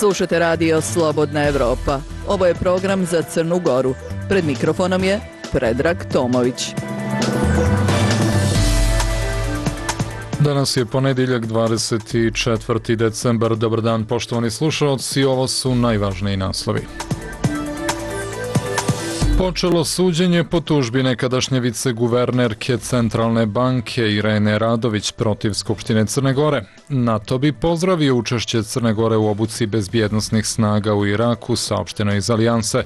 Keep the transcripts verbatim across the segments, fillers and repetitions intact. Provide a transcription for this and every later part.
Slušate radio Slobodna Evropa. Ovo je program za Crnu Goru. Pred mikrofonom je Predrag Tomović. Danas je ponedjeljak, dvadeset četvrti decembar. Dobar dan, poštovani slušalci, ovo su najvažniji naslovi. Počelo suđenje po tužbi nekadašnje viceguvernerke Centralne banke Irene Radović protiv Skupštine Crne Gore. NATO bi pozdravio učešće Crne Gore u obuci bezbjednosnih snaga u Iraku, saopšteno iz Alijanse.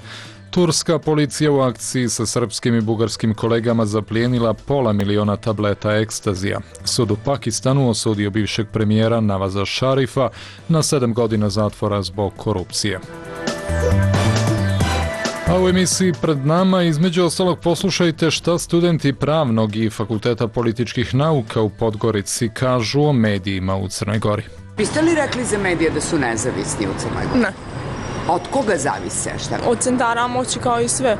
Turska policija u akciji sa srpskim i bugarskim kolegama zaplijenila pola miliona tableta ekstazija. Sud u Pakistanu osudio bivšeg premijera Navaza Šarifa na sedam godina zatvora zbog korupcije. A u emisiji pred nama između ostalog poslušajte šta studenti Pravnog i Fakulteta političkih nauka u Podgorici kažu o medijima u Crnoj Gori. Biste li rekli za medije da su nezavisni u Crnoj Gori? Ne. Od koga zavise? Šta? Od centara moći kao i sve.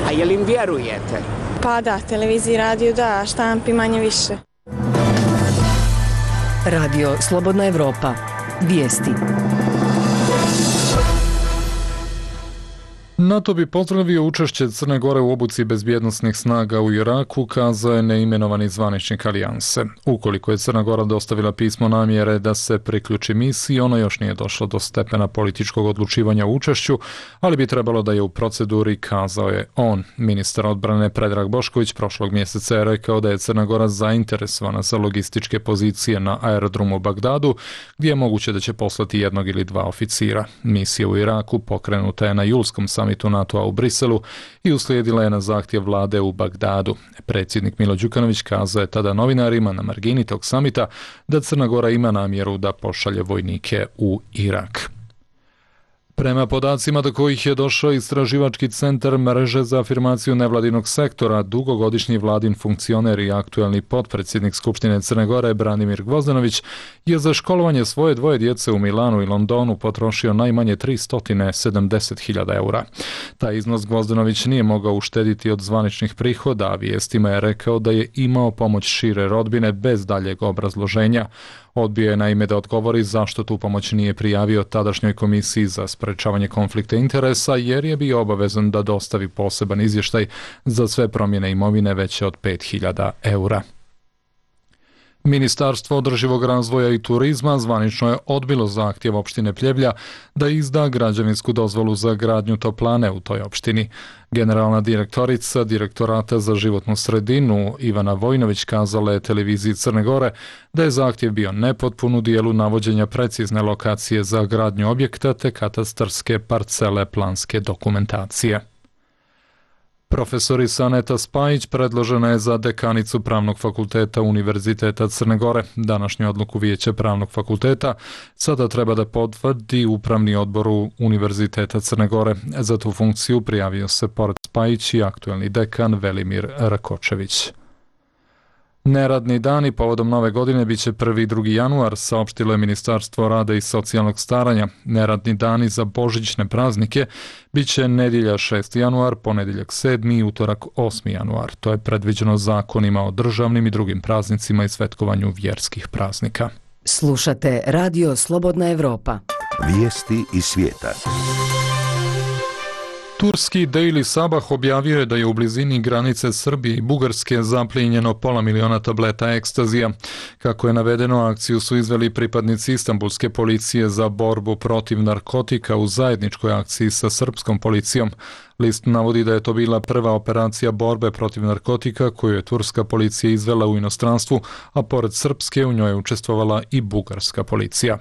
A je li im vjerujete? Pa da, televiziji, radio da, štampi manje više. Radio Slobodna Evropa. Vijesti. NATO bi pozdravio učešće Crne Gore u obuci bezbjednosnih snaga u Iraku, kazao je neimenovani zvaničnik Alijanse. Ukoliko je Crna Gora dostavila pismo namjere da se priključi misiji, ono još nije došlo do stepena političkog odlučivanja o učešću, ali bi trebalo da je u proceduri, kazao je on. Ministar odbrane Predrag Bošković prošlog mjeseca je rekao da je Crna Gora zainteresovana za logističke pozicije na aerodromu u Bagdadu, gdje je moguće da će poslati jednog ili dva oficira. Misija u Iraku pokrenuta je na julskom samitu NATO-a u Briselu i uslijedila je na zahtjev vlade u Bagdadu. Predsjednik Milo Đukanović kazao je tada novinarima na margini tog samita da Crna Gora ima namjeru da pošalje vojnike u Irak. Prema podacima do kojih je došao istraživački centar mreže za afirmaciju nevladinog sektora, dugogodišnji vladin funkcioner i aktuelni potpredsjednik Skupštine Crne Gore Branimir Gvozdenović je za školovanje svoje dvoje djece u Milanu i Londonu potrošio najmanje tristo sedamdeset hiljada eura. Taj iznos Gvozdenović nije mogao uštediti od zvaničnih prihoda, a vijestima je rekao da je imao pomoć šire rodbine bez daljeg obrazloženja. Odbio je naime da odgovori zašto tu pomoć nije prijavio tadašnjoj komisiji za sprečavanje konflikta interesa, jer je bio obavezan da dostavi poseban izvještaj za sve promjene imovine veće od pet hiljada eura. Ministarstvo održivog razvoja i turizma zvanično je odbilo zahtjev opštine Pljevlja da izda građevinsku dozvolu za gradnju toplane u toj opštini. Generalna direktorica Direktorata za životnu sredinu Ivana Vojnović kazala je televiziji Crne Gore da je zahtjev bio nepotpun u dijelu navođenja precizne lokacije za gradnju objekta te katastarske parcele planske dokumentacije. Profesorica Aneta Spajić predložena je za dekanicu Pravnog fakulteta Univerziteta Crne Gore. Današnju odluku Vijeća Pravnog fakulteta sada treba da potvrdi Upravni odbor Univerziteta Crne Gore. Za tu funkciju prijavio se pored Spajić i aktuelni dekan Velimir Rakočević. Neradni dani povodom nove godine biće prvi i drugi januar, saopštilo je Ministarstvo rada i socijalnog staranja. Neradni dani za božićne praznike biće nedjelja šesti januar, ponedjeljak sedmi i utorak osmi januar. To je predviđeno zakonima o državnim i drugim praznicima i svetkovanju vjerskih praznika. Slušate Radio Slobodna Evropa. Vijesti iz svijeta. Turski Daily Sabah objavio je da je u blizini granice Srbije i Bugarske zaplijenjeno pola miliona tableta ekstazija. Kako je navedeno, akciju su izveli pripadnici Istanbulske policije za borbu protiv narkotika u zajedničkoj akciji sa srpskom policijom. List navodi da je to bila prva operacija borbe protiv narkotika koju je turska policija izvela u inostranstvu, a pored srpske u njoj je učestvovala i bugarska policija.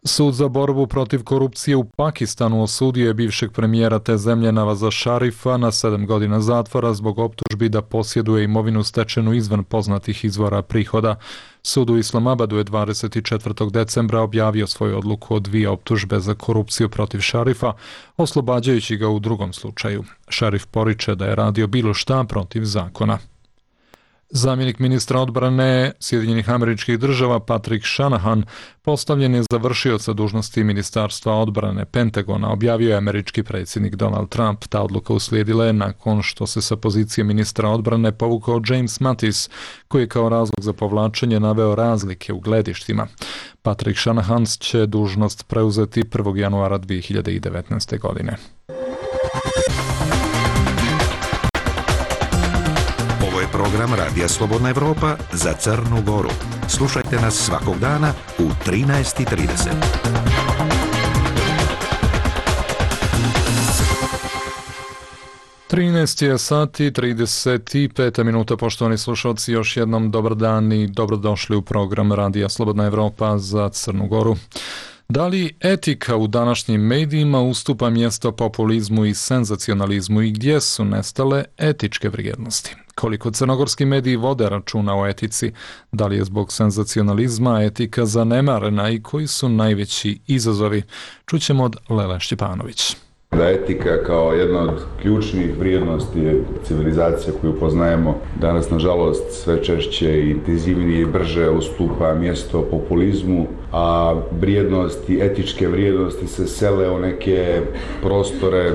Sud za borbu protiv korupcije u Pakistanu osudio je bivšeg premijera te zemlje Navaza Šarifa na sedam godina zatvora zbog optužbi da posjeduje imovinu stečenu izvan poznatih izvora prihoda. Sud u Islamabadu je dvadeset četvrtog decembra objavio svoju odluku o dvije optužbe za korupciju protiv Šarifa, oslobađajući ga u drugom slučaju. Šarif poriče da je radio bilo šta protiv zakona. Zamjenik ministra odbrane Sjedinjenih Američkih Država Patrick Shanahan postavljen je za vršioca dužnosti Ministarstva odbrane Pentagona, objavio je američki predsjednik Donald Trump. Ta odluka uslijedila je nakon što se sa pozicije ministra odbrane povukao James Mattis, koji je kao razlog za povlačenje naveo razlike u gledištima. Patrick Shanahan će dužnost preuzeti prvog januara dvije hiljade devetnaeste. godine. Ovo je program Radija Slobodna Evropa za Crnu Goru. Slušajte nas svakog dana u trinaest i trideset. trinaest je sati trideset pet minuta, poštovani slušalci, još jednom dobar dan i dobrodošli u program Radija Slobodna Evropa za Crnu Goru. Da li etika u današnjim medijima ustupa mjesto populizmu i senzacionalizmu i gdje su nestale etičke vrijednosti? Koliko crnogorski mediji vode računa o etici? Da li je zbog senzacionalizma etika zanemarena i koji su najveći izazovi? Čućemo od Lele Šćepanović. Da etika kao jedna od ključnih vrijednosti je civilizacija koju poznajemo danas, nažalost, sve češće i intenzivnije i brže ustupa mjesto populizmu, a vrijednosti, etičke vrijednosti se sele u neke prostore,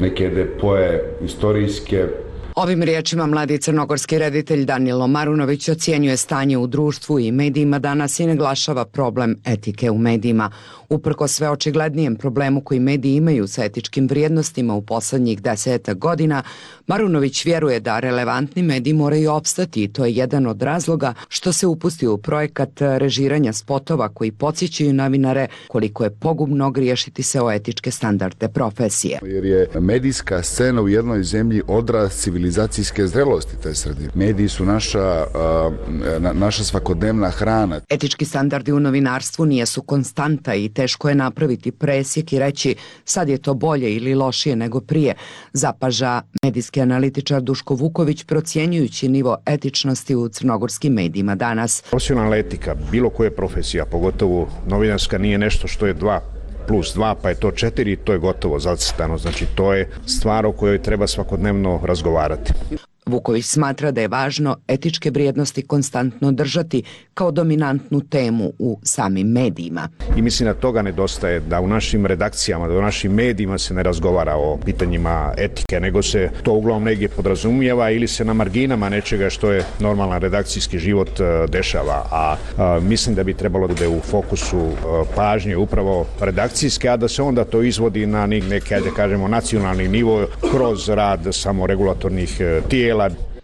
neke depoje istorijske. Ovim riječima mladi crnogorski reditelj Danilo Marunović ocjenjuje stanje u društvu i medijima danas i naglašava problem etike u medijima. Uprkos sve očiglednijem problemu koji mediji imaju sa etičkim vrijednostima u posljednjih desetak godina, Marunović vjeruje da relevantni mediji moraju opstati i to je jedan od razloga što se upustio u projekat režiranja spotova koji podsjećaju novinare koliko je pogubno griješiti se o etičke standarde profesije. Jer je medijska scena u jednoj zemlji odraz civilizacijske zrelosti te sredine. Mediji su naša, na, naša svakodnevna hrana. Etički standardi u novinarstvu nijesu konstanta i teško je napraviti presjek i reći sad je to bolje ili lošije nego prije, zapaža medijski analitičar Duško Vuković procjenjujući nivo etičnosti u crnogorskim medijima danas. Profesionalna etika, bilo koje profesija, pogotovo novinarska, nije nešto što je dva plus dva, pa je to četiri, to je gotovo zacrtano. Znači, to je stvar o kojoj treba svakodnevno razgovarati. Vuković smatra da je važno etičke vrijednosti konstantno držati kao dominantnu temu u samim medijima. I mislim da toga nedostaje, da u našim redakcijama, da u našim medijima se ne razgovara o pitanjima etike, nego se to uglavnom negdje podrazumijeva ili se na marginama nečega što je normalan redakcijski život dešava. A, a mislim da bi trebalo da bude u fokusu pažnje upravo redakcijske, a da se onda to izvodi na neke, ajde kažemo, nacionalni nivo kroz rad samoregulatornih tijela.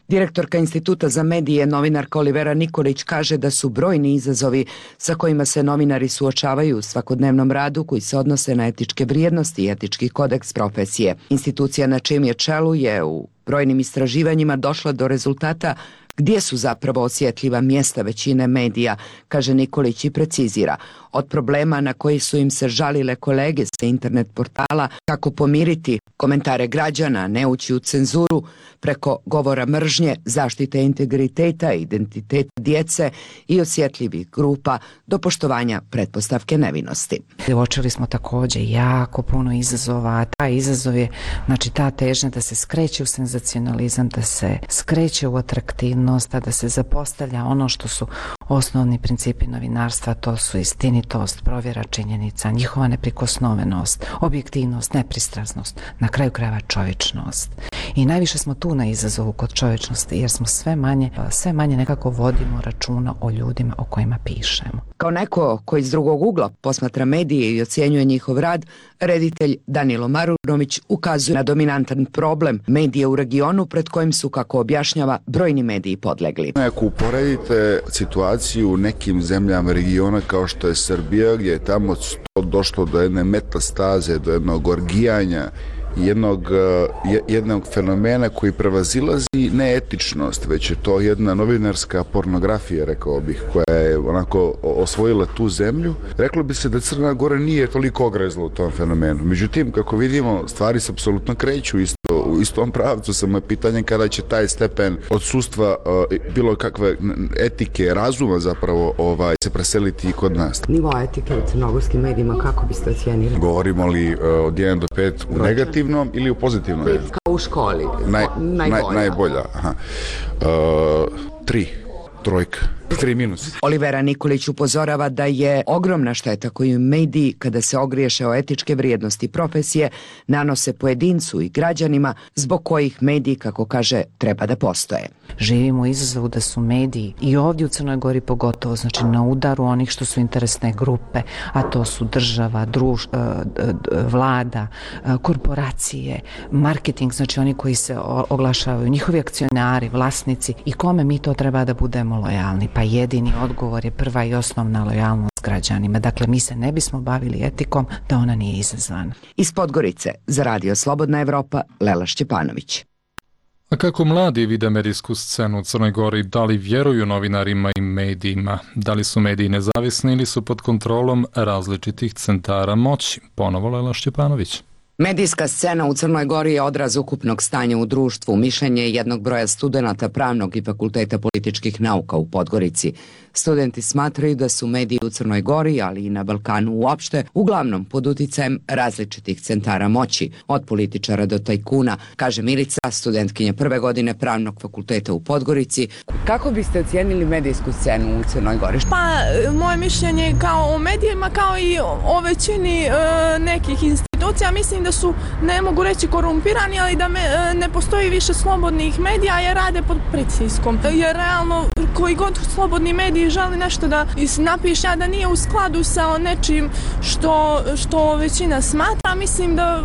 Direktorka Instituta za medije, novinarka Olivera Nikolić, kaže da su brojni izazovi sa kojima se novinari suočavaju u svakodnevnom radu koji se odnose na etičke vrijednosti i etički kodeks profesije. Institucija na čijem je čelu je u brojnim istraživanjima došla do rezultata gdje su zapravo osjetljiva mjesta većine medija, kaže Nikolić i precizira. Od problema na koji su im se žalile kolege sa internet portala, kako pomiriti komentare građana, ne ući u cenzuru, preko govora mržnje, zaštite integriteta i identiteta djece i osjetljivih grupa do poštovanja pretpostavke nevinosti. Uočili smo također jako puno izazova, a taj izazov je, znači, ta težnja da se skreće u senzacionalizam, da se skreće u atraktivnost, da se zapostavlja ono što su osnovni principi novinarstva, to su istinitost, provjera činjenica, njihova neprikosnovenost, objektivnost, nepristrasnost, na kraju krajeva čovječnost. I najviše smo tu na izazovu kod čovječnosti, jer smo sve manje, sve manje nekako vodimo računa o ljudima o kojima pišemo. Kao neko koji iz drugog ugla posmatra medije i ocjenjuje njihov rad, reditelj Danilo Marunović ukazuje na dominantan problem medije u regionu pred kojim su, kako objašnjava, brojni mediji podlegli. Ako uporedite situaciju u nekim zemljama regiona kao što je Srbija, gdje je tamo došlo do jedne metastaze, do jednog orgijanja, jednog, jednog fenomena koji prevazilazi neetičnost, već je to jedna novinarska pornografija, rekao bih, koja je onako osvojila tu zemlju. Reklo bi se da Crna Gora nije toliko ogrezla u tom fenomenu. Međutim, kako vidimo, stvari se apsolutno kreću isto, u istom pravcu. Samo je pitanje kada će taj stepen odsustva bilo kakve etike, razuma zapravo ovaj, se preseliti i kod nas. Nivo etike u crnogorskim medijima, kako biste ocijenili? Govorimo li od jedan do pet u negativnom ili u pozitivnom? Pet kao u školi. Naj, najbolja. Naj, najbolja. Aha. Uh, Tri. Trojka. Tri minus. Olivera Nikolić upozorava da je ogromna šteta koju mediji, kada se ogriješe o etičke vrijednosti profesije, nanose pojedincu i građanima zbog kojih mediji, kako kaže, treba da postoje. Živimo u izazovu da su mediji i ovdje u Crnoj Gori pogotovo, znači na udaru onih što su interesne grupe, a to su država, druž, vlada, korporacije, marketing, znači oni koji se oglašavaju, njihovi akcionari, vlasnici, i kome mi to treba da budemo lojalni. Pa jedini odgovor je prva i osnovna lojalnost građanima. Dakle, mi se ne bismo bavili etikom da ona nije izazvana. Iz Podgorice za Radio Slobodna Evropa, Lela Šćepanović. A kako mladi vide medijsku scenu u Crnoj Gori, da li vjeruju novinarima i medijima? Da li su mediji nezavisni ili su pod kontrolom različitih centara moći? Ponovo Lela Šćepanović. Medijska scena u Crnoj Gori je odraz ukupnog stanja u društvu, mišljenje jednog broja studenata Pravnog i Fakulteta političkih nauka u Podgorici. Studenti smatraju da su mediji u Crnoj Gori, ali i na Balkanu uopšte, uglavnom pod uticajem različitih centara moći, od političara do tajkuna, kaže Milica, studentkinja prve godine Pravnog fakulteta u Podgorici. Kako biste ocijenili medijsku scenu u Crnoj Gori? Pa, moje mišljenje kao o medijima, kao i o većini e, nekih institucija, mislim da su, ne mogu reći korumpirani, ali da me, ne postoji više slobodnih medija jer rade pod pritiskom. Jer realno, koji god slobodni mediji želi nešto da napiše, a da nije u skladu sa nečim što, što većina smatra, mislim da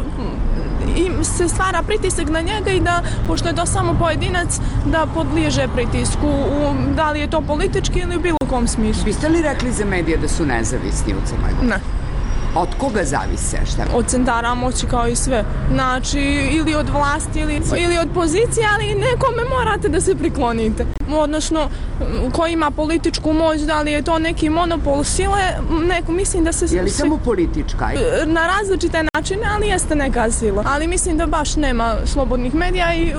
im se stvara pritisak na njega i da, pošto je to samo pojedinac, da podliježe pritisku, u, da li je to politički ili u bilo kom smislu. Biste li rekli za medije da su nezavisni u Crnoj Gori? Ne. Od koga zavise? Šta? Od centara moći kao i sve. Znači, ili od vlasti, ili, ili od pozicije, ali nekome morate da se priklonite. Odnosno, ko ima političku moć, da li je to neki monopol sile, neko, mislim da se... Je li samo politička? Na različite načine, ali jeste neka sila. Ali mislim da baš nema slobodnih medija i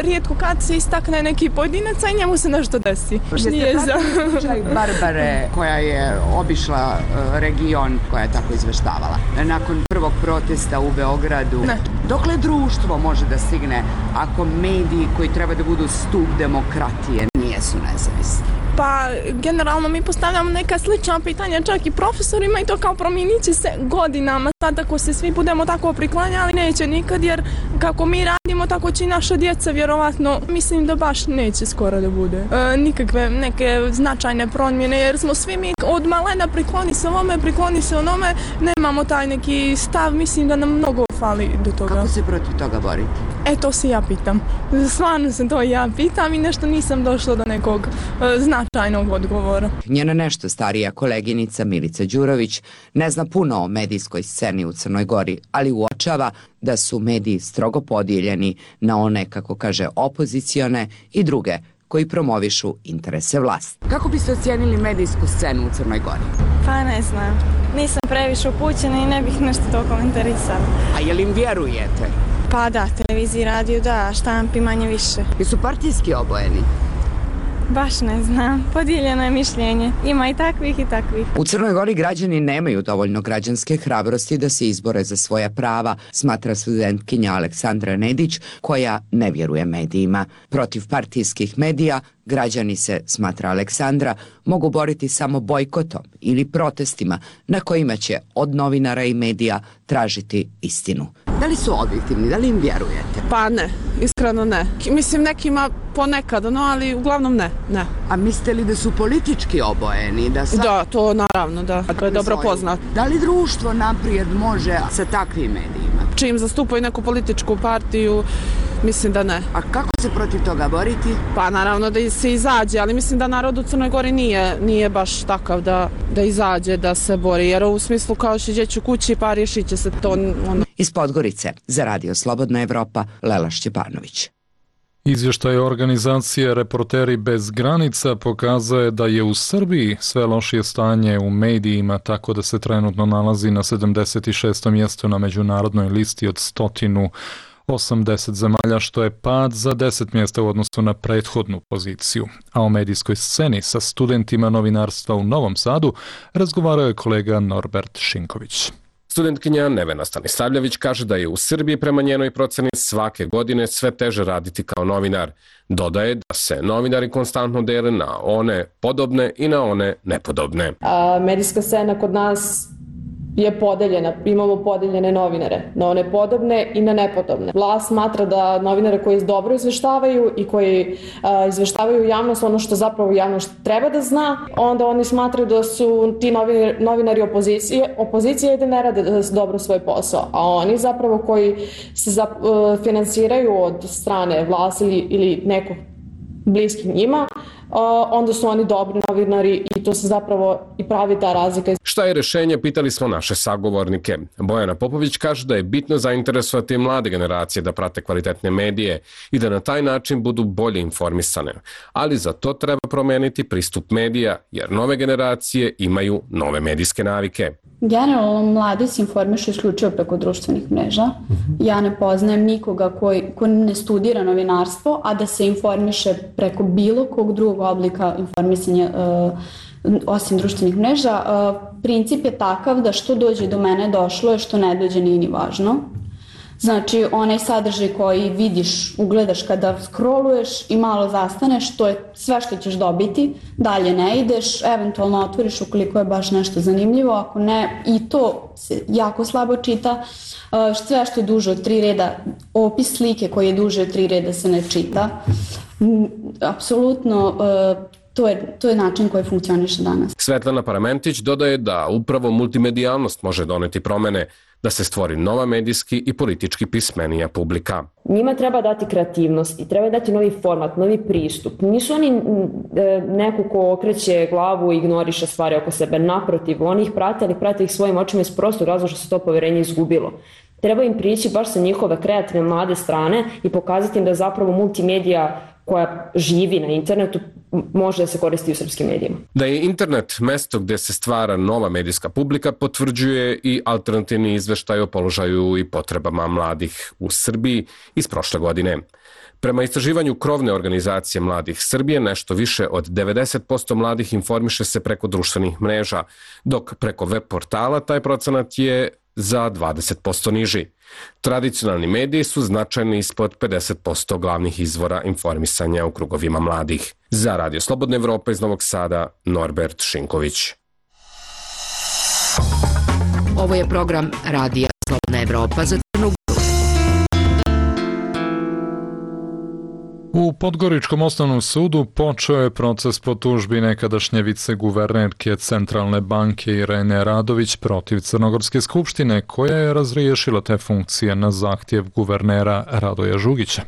rijetko kad se istakne neki pojedinac, a i njemu se nešto desi. Jeste pratili slučaj Barbare koja je obišla region, koja je tako izveštavala? Nakon prvog protesta u Beogradu. Ne. Dokle društvo može da stigne ako mediji koji treba da budu stup demokratije nijesu nezavisni? Pa, generalno mi postavljamo neka slična pitanja čak i profesorima i to kao promijenit će se godinama. Sad ako se svi budemo tako priklanjali, neće nikad, jer kako mi radimo, tako će i naša djeca vjerovatno. Mislim da baš neće skoro da bude e, nikakve neke značajne promjene, jer smo svi mi od malena prikloni se ovome, prikloni se onome, nemamo taj neki stav, mislim da nam mnogo fali do toga. Kako se protiv toga boriti? E, to se ja pitam. Stvarno se to ja pitam i nešto nisam došla do nekog e, značajnog odgovora. Njena nešto starija koleginica Milica Đurović ne zna puno o medijskoj sceni u Crnoj Gori, ali uočava da su mediji strogo podijeljeni na one, kako kaže, opozicione i druge koji promovišu interese vlasti. Kako biste ocijenili medijsku scenu u Crnoj Gori? Pa ne znam. Nisam previše upućena i ne bih nešto to komentarisala. A je li im vjerujete? Pa da, televiziji, radiju, da, štampi manje više. Jesu partijski obojeni? Baš ne znam, podijeljeno je mišljenje. Ima i takvih i takvih. U Crnoj Gori građani nemaju dovoljno građanske hrabrosti da se izbore za svoja prava, smatra studentkinja Aleksandra Nedić, koja ne vjeruje medijima. Protiv partijskih medija građani se, smatra Aleksandra, mogu boriti samo bojkotom ili protestima na kojima će od novinara i medija tražiti istinu. Da li su objektivni, da li im vjerujete? Pa ne, iskreno ne. Mislim nekima ponekad, no ali uglavnom ne, ne. A mislite li da su politički obojeni? Da, sad... da to naravno, da, to je dobro poznato. Da li društvo naprijed može sa takvim medijima? Čim zastupaju neku političku partiju, mislim da ne. A kako se protiv toga boriti? Pa naravno da se izađe, ali mislim da narod u Crnoj Gori nije, nije baš takav da, da izađe, da se bori, jer u smislu kao šiđeću kući pa riješit će se to. Ono. Iz Podgorice za Radio Slobodna Evropa, Lela Šćepanović. Izvještaj organizacije Reporteri bez granica pokazuje da je u Srbiji sve lošije stanje u medijima, tako da se trenutno nalazi na sedamdeset šestom mjestu na međunarodnoj listi od sto osamdeset zemalja, što je pad za deset mjesta u odnosu na prethodnu poziciju. A o medijskoj sceni sa studentima novinarstva u Novom Sadu razgovarao je kolega Norbert Šinković. Studentkinja Nevena Stanisavljević kaže da je u Srbiji prema njenoj proceni svake godine sve teže raditi kao novinar. Dodaje da se novinari konstantno dele na one podobne i na one nepodobne. A medijska scena kod nas je podeljena, imamo podeljene novinare, na one podobne i na nepodobne. Vlast smatra da novinare koji dobro izveštavaju i koji a, izveštavaju javnost ono što zapravo javnost treba da zna, onda oni smatraju da su ti novinari, novinari opozicije, opozicije i da ne rade dobro svoj posao, a oni zapravo koji se za, a, finansiraju od strane vlasti ili, ili nekog bliskih njima, onda su oni dobri novinari i to se zapravo i pravi ta razlika. Šta je rešenje, pitali smo naše sagovornike. Bojana Popović kaže da je bitno zainteresovati mlade generacije da prate kvalitetne medije i da na taj način budu bolje informisane. Ali za to treba promeniti pristup medija, jer nove generacije imaju nove medijske navike. Generalno, mladi se informišu isključivo preko društvenih mreža. Ja ne poznajem nikoga koji, ko ne studira novinarstvo, a da se informiše preko bilo kog drugog oblika informisanja uh, osim društvenih mreža. Uh, princip je takav da što dođe do mene došlo je, što ne dođe nije ni važno. Znači, onaj sadržaj koji vidiš, ugledaš kada scrolluješ i malo zastaneš, to je sve što ćeš dobiti, dalje ne ideš, eventualno otvoriš ukoliko je baš nešto zanimljivo, ako ne, i to se jako slabo čita, sve što je duže od tri reda, opis slike koji je duže od tri reda se ne čita. Apsolutno, To je, to je način koji funkcioniše danas. Svetlana Paramentić dodaje da upravo multimedijalnost može doneti promene, da se stvori nova medijski i politički pismenija publika. Njima treba dati kreativnost i treba dati novi format, novi pristup. Nisu oni neko ko okreće glavu i ignoriše stvari oko sebe. Naprotiv, oni ih prate, ali prate ih svojim očima iz prostog razloga što se to poverenje izgubilo. Treba im prići baš sa njihove kreativne mlade strane i pokazati im da zapravo multimedija koja živi na internetu može da se koristi u srpskim medijima. Da je internet mesto gde se stvara nova medijska publika potvrđuje i alternativni izveštaj o položaju i potrebama mladih u Srbiji iz prošle godine. Prema istraživanju krovne organizacije Mladih Srbije, nešto više od devedeset posto mladih informiše se preko društvenih mreža, dok preko web portala taj procenat je za dvadeset posto niži. Tradicionalni mediji su značajni ispod pedeset posto glavnih izvora informisanja u krugovima mladih. Za Radio Slobodna Evropa iz Novog Sada, Norbert Šinković. Ovo je program Radija Slobodna Evropa za Crnu Goru. U Podgoričkom osnovnom sudu počeo je proces po tužbi nekadašnje viceguvernerke Centralne banke Irene Radović protiv Crnogorske skupštine, koja je razriješila te funkcije na zahtjev guvernera Radoja Žugića.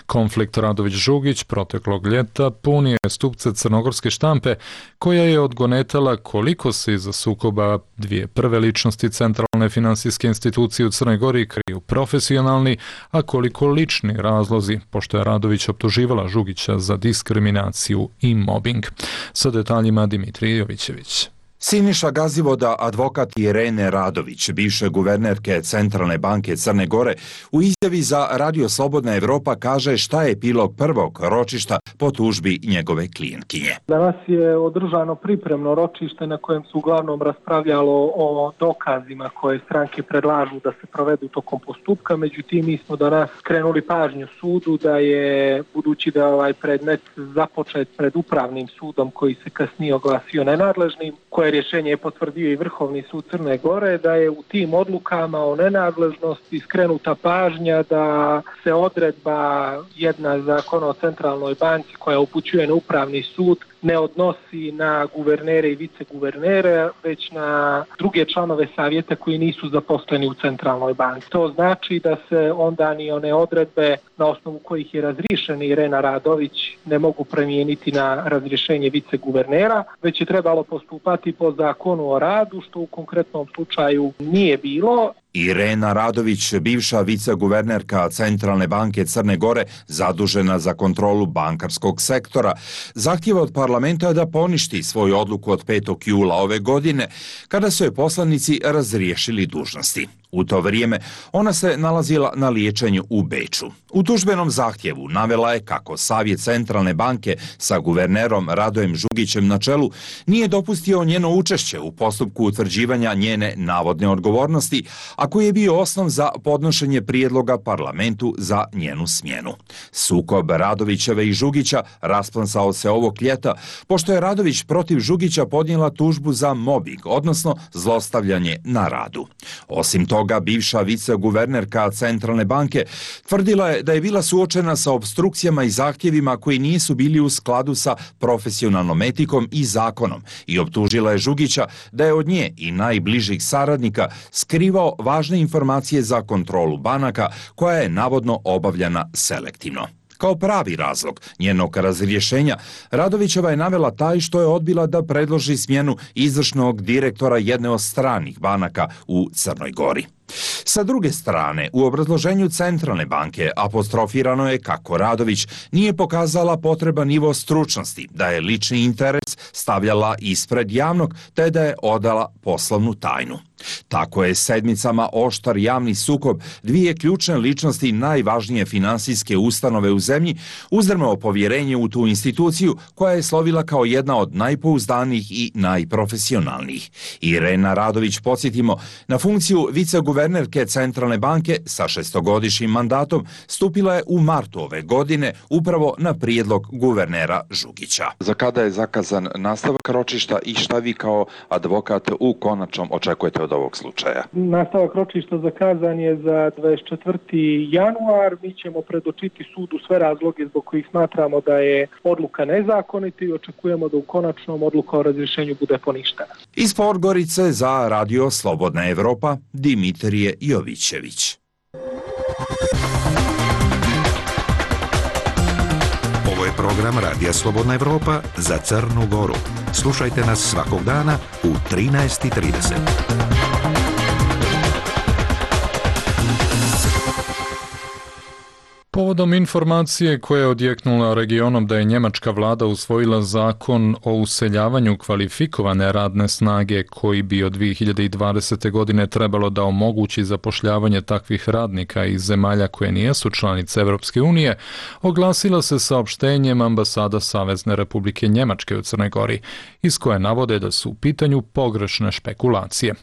Konflikt Radović-Žugić proteklog ljeta puni je stupce crnogorske štampe, koja je odgonetala koliko se iza sukoba dvije prve ličnosti centralne finansijske institucije u Crnoj Gori kriju profesionalni, a koliko lični razlozi, pošto je Radović optuživala Žugića za diskriminaciju i mobbing. Sa detaljima Dimitrij Jovićević. Siniša Gazivoda, advokat Irene Radović, bivše guvernerke Centralne banke Crne Gore, u izjavi za Radio Slobodna Evropa kaže šta je epilog prvog ročišta po tužbi njegove klijentkinje. Danas je održano pripremno ročište na kojem su uglavnom raspravljalo o dokazima koje stranke predlažu da se provedu tokom postupka. Međutim, mi smo danas skrenuli pažnju sudu da je, budući da ovaj predmet započet pred upravnim sudom koji se kasnije oglasio nenadležnim, koje rješenje je potvrdio i Vrhovni sud Crne Gore, da je u tim odlukama o nenadležnosti skrenuta pažnja da se odredba jedna Zakona o Centralnoj banci koja upućuje na upravni sud ne odnosi na guvernere i viceguvernere, već na druge članove savjeta koji nisu zaposleni u Centralnoj banci. To znači da se onda ni one odredbe na osnovu kojih je razriješena Irena Radović ne mogu promijeniti na razrješenje viceguvernera, već je trebalo postupati po Zakonu o radu, što u konkretnom slučaju nije bilo. Irena Radović, bivša viceguvernerka Centralne banke Crne Gore, zadužena za kontrolu bankarskog sektora, zahtjeva od parlamenta da poništi svoju odluku od petog jula ove godine, kada su je poslanici razriješili dužnosti. U to vrijeme ona se nalazila na liječenju u Beču. U tužbenom zahtjevu navela je kako Savjet Centralne banke sa guvernerom Radojem Žugićem na čelu nije dopustio njeno učešće u postupku utvrđivanja njene navodne odgovornosti, a koji je bio osnov za podnošenje prijedloga parlamentu za njenu smjenu. Sukob Radovićeve i Žugića rasplansao se ovog ljeta, pošto je Radović protiv Žugića podnijela tužbu za mobing, odnosno zlostavljanje na radu. Osim toga, bivša viceguvernerka Centralne banke tvrdila je da je bila suočena sa opstrukcijama i zahtjevima koji nisu bili u skladu sa profesionalnom etikom i zakonom i optužila je Žugića da je od nje i najbližih saradnika skrivao važne informacije za kontrolu banaka koja je navodno obavljana selektivno. Kao pravi razlog njenog razrješenja, Radovićeva je navela taj što je odbila da predloži smjenu izvršnog direktora jedne od stranih banaka u Crnoj Gori. Sa druge strane, u obrazloženju Centralne banke apostrofirano je kako Radović nije pokazala potreban nivo stručnosti, da je lični interes stavljala ispred javnog, te da je odala poslovnu tajnu. Tako je sedmicama oštar javni sukob dvije ključne ličnosti najvažnije finansijske ustanove u zemlji uzdrmao povjerenje u tu instituciju koja je slovila kao jedna od najpouzdanijih i najprofesionalnijih. Irena Radović, podsjetimo, na funkciju viceguvernerke Centralne banke sa šestogodišnjim mandatom stupila je u martu ove godine upravo na prijedlog guvernera Žugića. Za kada je zakazan nastavak ročišta i šta vi kao advokat u konačnom očekujete od ovog slučaja? Nastavak ročišta zakazan je za dvadeset četvrti januar. Mi ćemo predočiti sudu sve razloge zbog kojih smatramo da je odluka nezakonita i očekujemo da u konačnom odluka o razrješenju bude poništena. Iz Podgorice za Radio Slobodna Evropa, Dimitrije Jovićević. Ovo je program Radija Slobodna Evropa za Crnu Goru. Slušajte nas svakog dana u trinaest i trideset. Povodom informacije koja je odjeknula regionom da je njemačka vlada usvojila zakon o useljavanju kvalifikovane radne snage koji bi od dvije hiljade dvadesete. godine trebalo da omogući zapošljavanje takvih radnika iz zemalja koje nijesu članice Evropske unije, oglasila se saopštenjem ambasada Savezne Republike Njemačke u Crnoj Gori, iz koje navode da su u pitanju pogrešne špekulacije.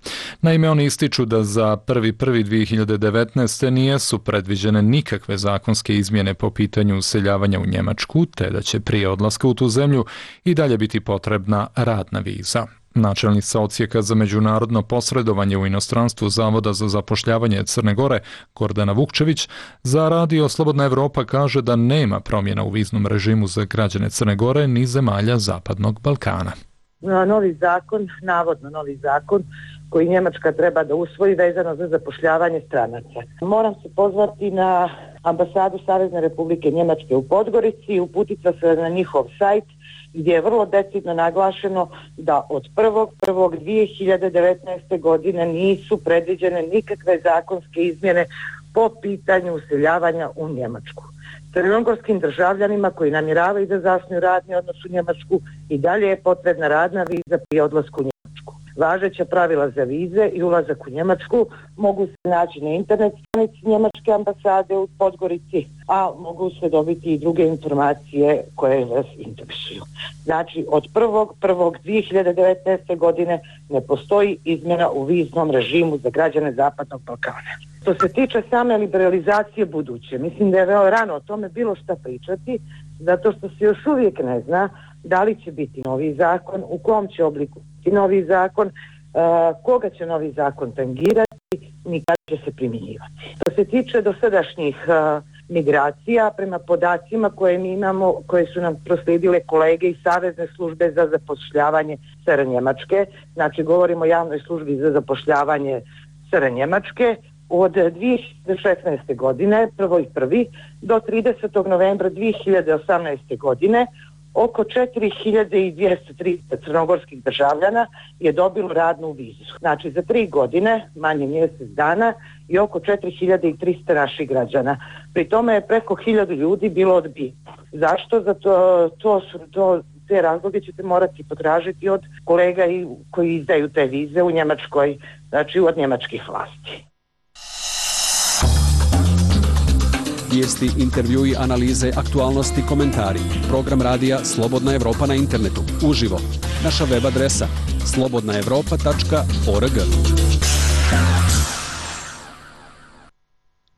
Naime, oni ističu da za prvi prvog dvije hiljade devetnaeste. nijesu predviđene nikakve zakonske izmjene po pitanju useljavanja u Njemačku, te da će prije odlaska u tu zemlju i dalje biti potrebna radna viza. Načelnica odsjeka za međunarodno posredovanje u inostranstvu Zavoda za zapošljavanje Crne Gore, Gordana Vukčević, za Radio Slobodna Evropa kaže da nema promjena u viznom režimu za građane Crne Gore ni zemalja Zapadnog Balkana. Novi zakon, navodno novi zakon, koji Njemačka treba da usvoji vezano za zapošljavanje stranaca. Moram se pozvati na ambasadu Savezne Republike Njemačke u Podgorici i uputiti se na njihov sajt gdje je vrlo decidno naglašeno da od prvog prvog dvije hiljade devetnaeste. godine nisu predviđene nikakve zakonske izmjene po pitanju useljavanja u Njemačku. Crnogorskim državljanima koji namjeravaju da zasnuju radni odnos u Njemačku i dalje je potrebna radna viza prije odlaska u Njemačku. Važeća pravila za vize i ulazak u Njemačku mogu se naći na internet stranici Njemačke ambasade u Podgorici, a mogu se dobiti i druge informacije koje vas interesuju. Znači, od prvog prvog dvije hiljade devetnaeste. godine ne postoji izmjena u viznom režimu za građane Zapadnog Balkana. Što se tiče same liberalizacije buduće, mislim da je veoma rano o tome bilo šta pričati, zato što se još uvijek ne zna da li će biti novi zakon, u kom će obliku biti novi zakon, uh, koga će novi zakon tangirati, ni kada će se primjenjivati. Što se tiče dosadašnjih uh, migracija, prema podacima koje mi imamo, koje su nam proslijedile kolege iz Savezne službe za zapošljavanje S R Njemačke, znači govorimo o javnoj službi za zapošljavanje S R Njemačke, od dvije hiljade šesnaeste. godine, prvog prvog do tridesetog novembra dvije hiljade osamnaeste. godine, oko četiri hiljade dvjesto trideset crnogorskih državljana je dobilo radnu vizu. Znači za tri godine, manje mjesec dana, i oko četiri hiljade tristo naših građana. Pri tome je preko hiljadu ljudi bilo odbijeno. Zašto? Zato to su to te razloge ćete morati potražiti od kolega i koji izdaju te vize u Njemačkoj, znači od njemačkih vlasti. Vijesti, intervjui, analize, aktualnosti, komentari. Program radija Slobodna Evropa na internetu. Uživo. Naša web adresa slobodna evropa tačka org.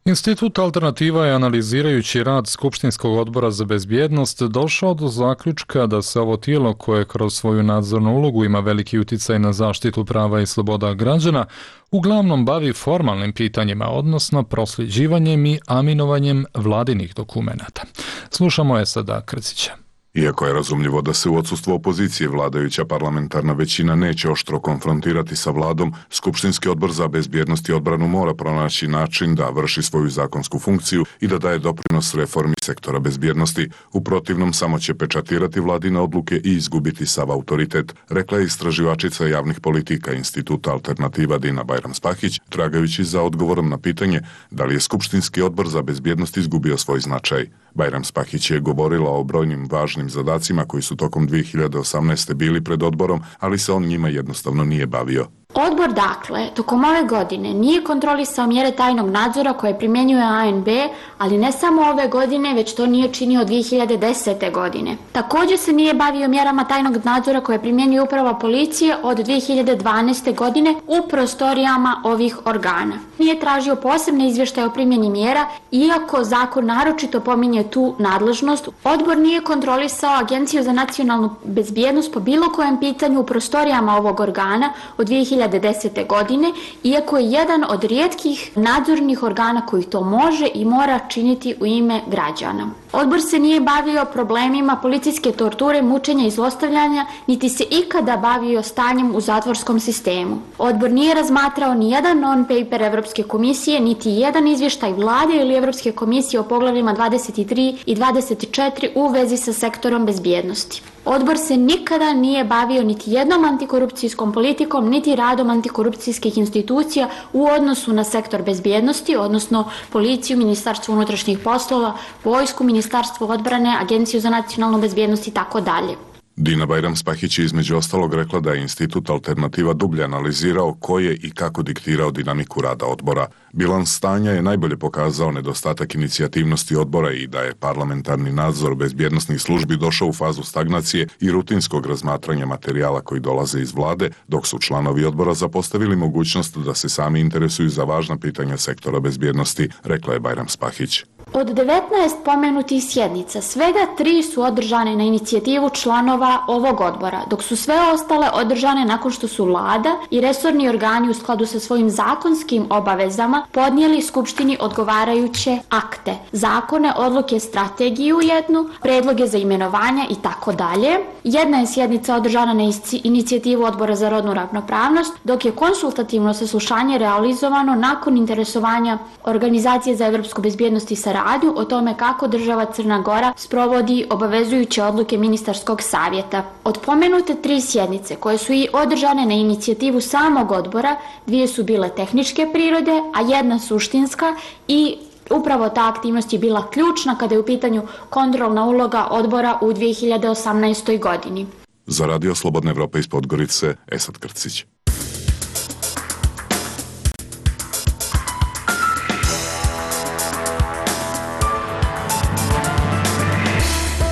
Institut Alternativa je, analizirajući rad Skupštinskog odbora za bezbjednost, došao do zaključka da se ovo tijelo, koje kroz svoju nadzornu ulogu ima veliki uticaj na zaštitu prava i sloboda građana, uglavnom bavi formalnim pitanjima, odnosno prosljeđivanjem i aminovanjem vladinih dokumenata. Slušamo Esada Krcića. Iako je razumljivo da se u odsustvu opozicije vladajuća parlamentarna većina neće oštro konfrontirati sa vladom, Skupštinski odbor za bezbjednost i odbranu mora pronaći način da vrši svoju zakonsku funkciju i da daje doprinos reformi sektora bezbjednosti. U protivnom samo će pečatirati vladine odluke i izgubiti sav autoritet, rekla je istraživačica javnih politika Instituta Alternativa Dina Bajram-Spahić, tragajući za odgovorom na pitanje da li je Skupštinski odbor za bezbjednost izgubio svoj značaj. Bajram-Spahić je govorila o brojnim važnim zadacima koji su tokom dvije hiljade osamnaeste. bili pred odborom, ali se on njima jednostavno nije bavio. Odbor, dakle, tokom ove godine nije kontrolisao mjere tajnog nadzora koje primjenjuje A N B, ali ne samo ove godine, već to nije činio dvije hiljade desete. godine. Također se nije bavio mjerama tajnog nadzora koje primjenjuje uprava policije od dvije hiljade dvanaeste. godine u prostorijama ovih organa. Nije tražio posebne izvještaje o primjeni mjera, iako zakon naročito pominje tu nadležnost. Odbor nije kontrolisao Agenciju za nacionalnu bezbjednost po bilo kojem pitanju u prostorijama ovog organa od dvije hiljade desete. godine, iako je jedan od rijetkih nadzornih organa koji to može i mora činiti u ime građana. Odbor se nije bavio problemima policijske torture, mučenja i zlostavljanja, niti se ikada bavio stanjem u zatvorskom sistemu. Odbor nije razmatrao ni jedan non-paper Evropske komisije, niti jedan izvještaj vlade ili Evropske komisije o poglavljima dvadeset tri i dvadeset četiri u vezi sa sektorom bezbjednosti. Odbor se nikada nije bavio niti jednom antikorupcijskom politikom, niti radom antikorupcijskih institucija u odnosu na sektor bezbjednosti, odnosno policiju, Ministarstvo unutrašnjih poslova, vojsku, Ministarstvo odbrane, Agenciju za nacionalnu bezbjednost i tako dalje. Dina Bajram-Spahić je između ostalog rekla da je Institut Alternativa dublje analizirao ko je i kako diktirao dinamiku rada odbora. Bilans stanja je najbolje pokazao nedostatak inicijativnosti odbora i da je parlamentarni nadzor bezbjednosnih službi došao u fazu stagnacije i rutinskog razmatranja materijala koji dolaze iz vlade, dok su članovi odbora zapostavili mogućnost da se sami interesuju za važna pitanja sektora bezbjednosti, rekla je Bajram-Spahić. Od devetnaest pomenutih sjednica, svega tri su održane na inicijativu članova ovog odbora, dok su sve ostale održane nakon što su vlada i resorni organi u skladu sa svojim zakonskim obavezama podnijeli Skupštini odgovarajuće akte, zakone, odluke, strategiju jednu, predloge za imenovanja i tako dalje. Jedna je sjednica održana na inicijativu Odbora za rodnu ravnopravnost, dok je konsultativno saslušanje realizovano nakon interesovanja Organizacije za evropsku bezbjednost i saradnju o tome kako država Crna Gora sprovodi obavezujuće odluke ministarskog savjeta. Od pomenute tri sjednice koje su i održane na inicijativu samog odbora, dvije su bile tehničke prirode, a jedna suštinska, i upravo ta aktivnost je bila ključna kada je u pitanju kontrolna uloga odbora u dvije hiljade osamnaestoj. godini. Za Radio Slobodna Evropa iz Podgorice, Esad Krcić.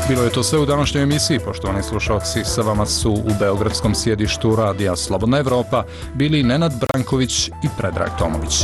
Bilo je to sve u današnjoj emisiji, poštovani slušalci. Sa vama su u beogradskom sjedištu Radija Slobodna Evropa bili Nenad Branković i Predrag Tomović.